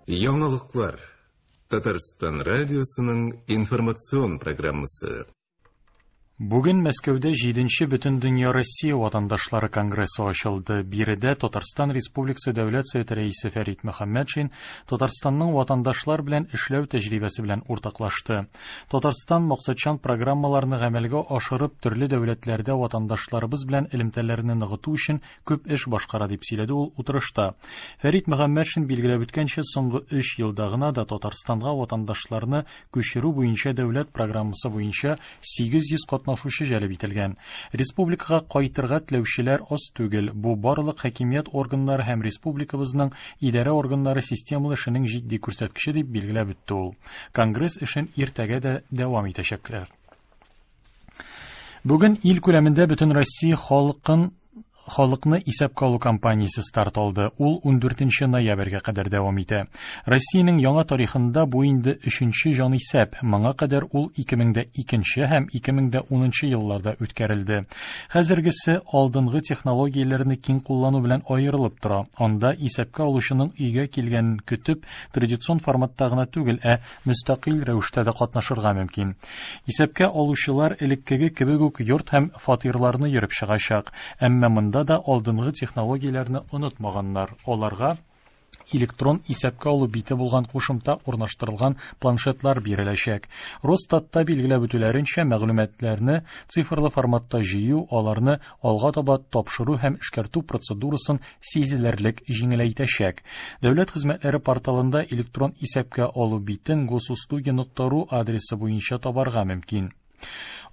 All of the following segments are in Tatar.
Яңалыклар. Татарстан радиосының информацион программасы. Бүген Мәскәүдә 7-нче Бөтендөнья Россия ватандашлары конгрессы ачылды. Биредә Татарстан Республикасы Дәүләт Советы рәисе Фәрит Мөхәммәтшин Татарстанның ватандашлар белән эшләү тәҗрибәсе белән уртаклашты. Татарстан максатчан программаларны гамәлгә ашырып, төрле дәүләтләрдә ватандашларыбыз белән элемтәләрне ныгыту өчен күп эш башкара, дип сөйләде ул утырышта. Фәрит Мөхәммәтшин билгеләп үткәнчә, соңгы өч елда гына да Татарстанга ватандашларны күчерү буенча дәүләт программасы буенча 800 катнашучы җәлеп ителгән. Республикага кайтырга теләүчеләр аз түгел. Бу барлык хакимият органнары һәм республикабызның идарә органнары системалы эшенең җитди күрсәткече, дип билгеләп үтте ул. Конгресс эшен иртәгә дә дәвам итәчәкләр. Бүген ил күләмендә бөтен Россия халкын халыкны исәпкә алу кампаниясе старт алды. Ул 14 ноябрьгә кадәр дәвам итә. Россиянең яңа тарихында бу инде өченче җанисәп. Моңа кадәр ул 2002 һәм 2010 елларда үткәрелде. Хәзергесе алдынгы технологияләрне киң куллану белән аерылып тора. Анда исәпкә алучының өйгә килгәнен көтеп, традицион форматта гына түгел, ә мөстәкыйль рәвештә дә катнашырга мөмкин. Исәпкә алучылар элеккеге кебек үк йорт һәм фатирларны йөреп чыгачак. Әмма монда да алдынгы технологияләрне онытмаганнар. Аларга электрон исәпкә алу бите булган кушымта урнаштырылган планшетлар биреләчәк. Росстатта билгеләп үтүләренчә, мәгълүматларны цифрлы форматта җыю аларны алга таба тапшыру һәм эшкәртү процедурасын сизелерлек җиңеләйтәчәк. Дәүләт хезмәтләре порталында электрон исәпкә алу битен госуслуги.ру адресы буенча табарга мөмкин.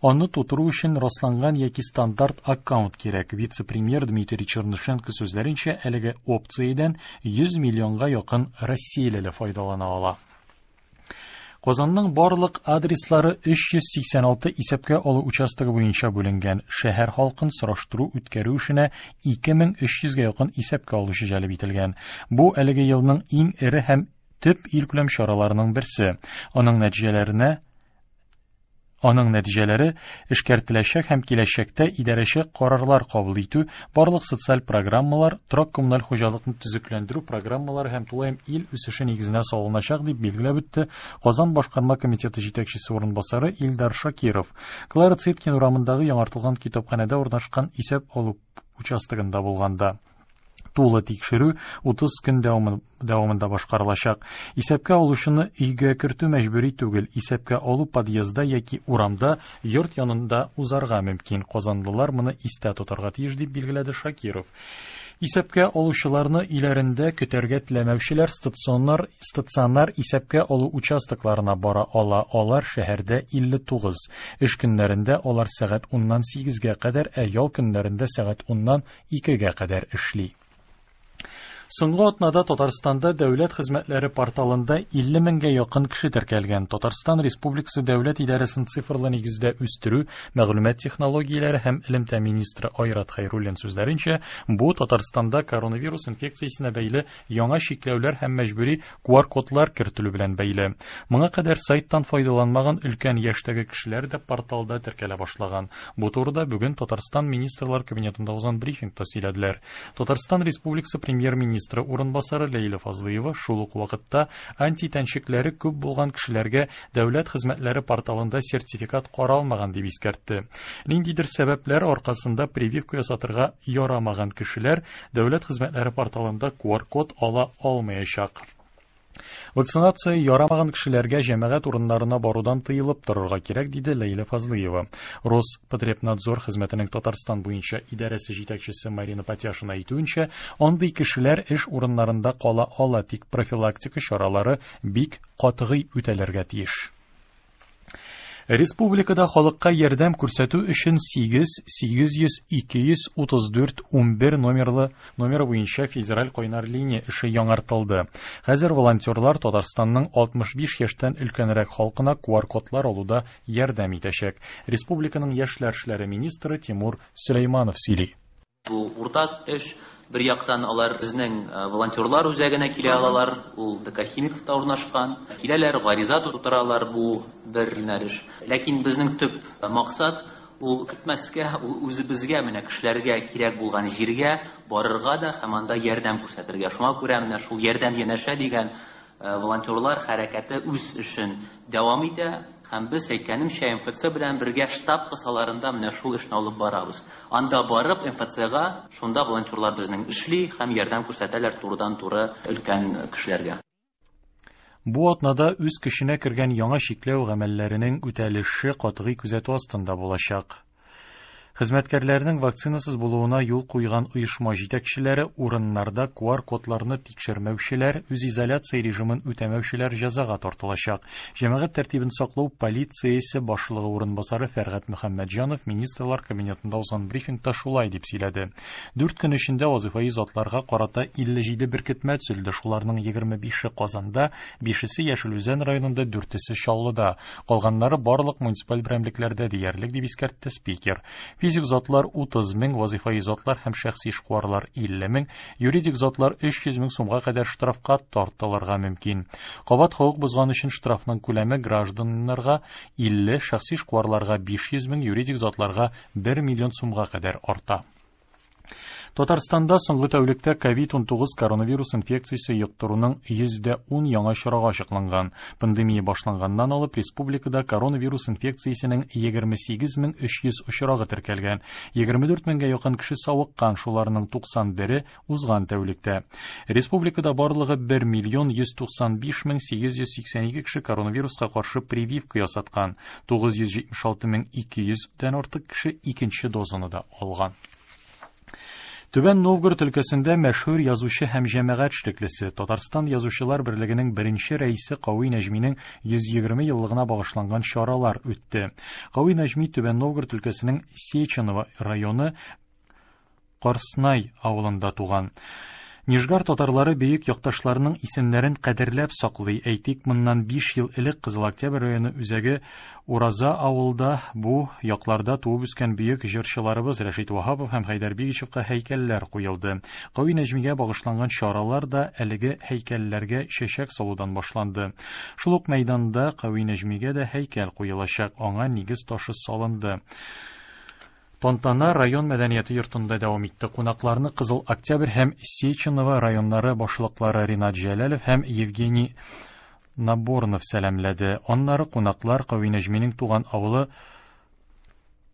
Аны тутыру өчен расланган яки стандарт аккаунт кирәк. Вице-премьер Дмитрий Чернышенко сүзләренчә, әлеге опциядән 100 миллионга якын россиялеле файдалана ала. Казанның барлык адреслары 386 исәпкә алу участогы буенча бүленгән. Шәһәр халкын сораштыру үткәрү эшенә 2300гә якын исәпкә алучы җәлеп ителгән. Бу әлеге елның иң эре һәм төп илкүләм чараларының берсе. Аның нәтиҗәләре эшкәртеләчәк һәм киләчәктә идарәче карарлар кабул итү, барлык социаль программалар, торак-коммуналь хуҗалыкны төзекләндерү программалары һәм тулаем ил үсеше нигезенә салыначак, дип билгеләп үтте Казан башкарма комитеты җитәкчесе урынбасары Илдар Шакиров. Клара Цеткин урамындагы яңартылган китапханәдә урнашкан исәп алу участогында булганда. Тулы тикшерү 30 көн дәвамында башкарылачак. Исәпкә алучыны өйгә кертү мәҗбүри түгел. Исәпкә алу подъездда яки урамда, йорт янында узарга мөмкин. Казанлылар моны истә тотарга тиеш, дип билгеләде Шакиров. Исәпкә алучыларны өйләрендә көтәргә теләмәүчеләр стационар стационар исәпкә алу участокларына бара ала. Алар шәһәрдә 59. Эш көннәрендә алар сәгать 10-нан 8-гә кадәр, ә ял көннәрендә сәгать 10-нан 2-гә кадәр эшли. Соңгы атнада Татарстанда дәүләт хезмәтләре порталында 50 меңгә якын кеше теркәлгән. Татарстан Республикасы дәүләт идарәсен цифрлы нигездә үстерү, мәгълүмат технологияләре һәм элемтә министры Айрат Хәйруллин сүзләренчә, бу Татарстанда коронавирус инфекциясенә бәйле яңа чикләүләр һәм мәҗбүри QR-кодлар кертелү белән бәйле. Моңа кадәр сайттан файдаланмаган өлкән яшьтәге кешеләр дә порталда теркәлә башлаган. Бу турыда бүген Татарстан Министрлар Кабинетында узган брифингта сөйләделәр. Татарстан Республикасы премьер-министры урынбасары Ләйлә Фазлыева шул ук вакытта антитәнчекләре күп булган кешеләргә дәүләт хезмәтләре порталында сертификат каралмаган дип искәртте. Ниндидер сәбәпләр аркасында прививка ясатырга ярамаган кешеләр дәүләт хезмәтләре порталында QR-код ала алмаячак. Вакцинация ярамаган кешеләргә җәмәгать урыннарына барудан тыелып торырга кирәк, диде Ләйлә Фазлыева. Роспотребнадзор хезмәтенең Татарстан буенча идарәсе җитәкчесе Марина Патяшина әйтүенчә, андый кешеләр эш урыннарында кала ала, тик профилактика чаралары бик катгый үтәлергә тиеш. Республикада халыкка ярдәм күрсәтү өчен 8 800 234 11 номерлы номеры буенча федераль кайнар линия эше яңартылды. Хәзер волонтерлар Татарстанның 65 яшьтән өлкәнрәк халкына QR-кодлар алуда ярдәм итәчәк. Республиканың яшьләр эшләре министры Тимур Сөләйманов сөйли. Бу уртак эш. Бер яктан алар безнең волонтерлар үзәгенә килә алалар, ул ДК Химиковта урнашкан. Киләләр, гариза тутыралар, бу бер юнәлеш. Ләкин безнең төп максат ул көтмәскә, ул үзебезгә, менә кешеләргә кирәк булган җиргә барырга да һәм анда ярдәм күрсәтергә. Шуңа күрә менә шул ярдәм янәшә дигән Волонтерлар хәрәкәте үз эшен дәвам итә. Һәм без, әйткәнемчә, МФЦ белән бергә штаб кысаларында менә шул эшне алып барабыз. Анда барып, МФЦга, шунда волонтерлар безнең эшли һәм ярдәм күрсәтәләр турыдан-туры өлкән кешеләргә. Бу атнада үз көченә кергән яңа чикләү гамәлләренең үтәлеше катгый күзәтү астында булачак. Хезмәткәрләрнең вакцинасыз булуына юл куйган оешма җитәкчеләре, урыннарда QR-кодларны тикшермәүчеләр, үзизоляция режимын үтәмәүчеләр җәзага тартылачак. Җәмәгать тәртибен саклау полициясе башлыгы урынбасары Фәргать Мөхәммәтҗанов Министрлар Кабинетында узган брифингта шулай дип сөйләде. 4 көн эчендә вазыйфаи затларга карата 57 беркетмә төзелде, шуларның 25-е Казанда, 5-се Яшел Үзән районында, 4-се Чаллыда. Калганнары барлык муниципаль берәмлекләрдә диярлек, дип искәртте спикер. Физик затлар 30 мең, вазыйфаи затлар һәм шәхси эшкуарлар 50 мең, юридик затлар 300 мең сумга кадәр штрафка тартылырга мөмкин. Кабат хокук бозган өчен штрафның күләме гражданнарга 50, шәхси эшкуарларга 500 мең, юридик затларга 1 миллион сумга кадәр арта. Татарстанда соңгы тәүлектә COVID-19 коронавирус инфекциясе йоктыруның 10% яңа очрагы ачыкланган. Пандемия башланганнан алып республикада коронавирус инфекциясенең 28300 очрагы теркәлгән. 24 меңгә якын кеше савыккан, шуларның 91-е узган тәүлектә. Республикада барлыгы 1 миллион 195 мең 882 кеше коронавируска каршы прививка ясаткан. 976 мең 200 дән артык кеше икенче дозаны да алган. Түбән Новгород өлкәсендә мәшһүр язучы һәм җәмәгать эшлеклесе, Татарстан Язучылар берлегенең беренче рәисе Кави Нәҗминең 120 еллыгына багышланган чаралар үтте. Кави Нәҗми Түбән Новгород өлкәсенең Сеченово районы Карснай авылында туган. Нижгар татарлары бөек якташларының исемнәрен кадерләп саклый. Әйтик, моннан 5 ел элек Кызыл Октябрь районы үзәге Ураза авылда бу якларда туып үскән бөек җырчыларыбыз Рәшит Ваһапов һәм Хәйдәр Бигичевка һәйкәлләр куелды. Кави Нәҗмигә багышланган чаралар да әлеге һәйкәлләргә чәчәк салудан башланды. Шул ук мәйданда Кави Нәҗмигә дә һәйкәл куелачак, аңа нигез ташы салынды. Тантана район мәдәнияте йортында дәвам итте. Кунакларны Кызыл Октябрь һәм Сеченово районнары башлыклары Ринат Җәләлов һәм Евгений Наборнов сәламләде. Аннары кунаклар Кави Нәҗминең туган авылы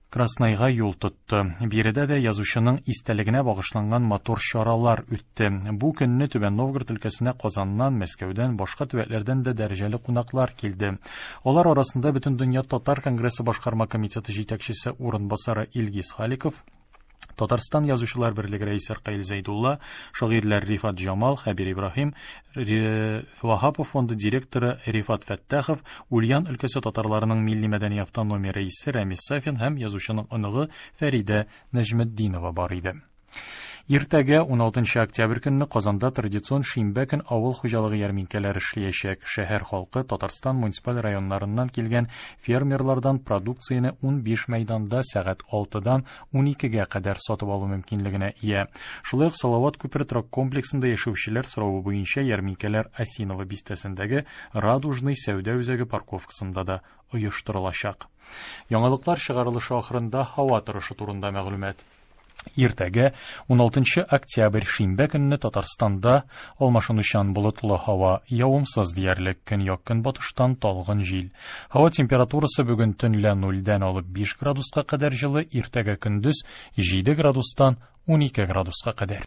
Краснайга юл тотты. Биредә дә язучының истәлегенә багышланган матур чаралар үтте. Бу көнне Түбән Новгород өлкәсенә Казаннан, Мәскәүдән, башка төбәкләрдән дә дәрәҗәле кунаклар килде. Алар арасында Бөтендөнья татар конгрессы башкарма комитеты җитәкчесе урынбасары Илгиз Халиков, Татарстан Язучылар берлеге рәисе Ркаил Зәйдулла, шагыйрьләр Рифат Җамал, Хәбир Ибраһим, Ваһапов фонды директоры Рифат Фәттахов, Ульян өлкәсе татарларының милли мәдәни автономия рәисе Рәмис Сафин һәм язучының оныгы Фәридә Нәҗметдинова бар иде. Иртәгә 16 октябрь көнне Казанда традицион шимбә көн авыл хуҗалыгы ярминкәләре эшләячәк. Шәһәр халкы Татарстан муниципаль районнарыннан килгән фермерлардан продукцияне 15 мәйданда сәгать 6-дан 12-гә кадәр сатып алу мөмкинлегенә ия. Шулай ук Салават күпере торак комплексында яшәүчеләр соравы буенча ярминкәләр Осиново бистәсендәге Радужный сәүдә үзәге парковкасында да оештырылачак. Яңалыклар чыгарылышы ахырында һава торышы турында мәгълүмат. Иртәгә 16 октябрь шимбә көнне Татарстанда алмашынучан болытлы һава, явымсыз диярлек, көньяк-көнбатыштан талгын җил. Һава температурасы бүген төнлә 0-дән алып 5 градуска кадәр җылы, иртәгә көндез 7 градустан 12 градуска кадәр.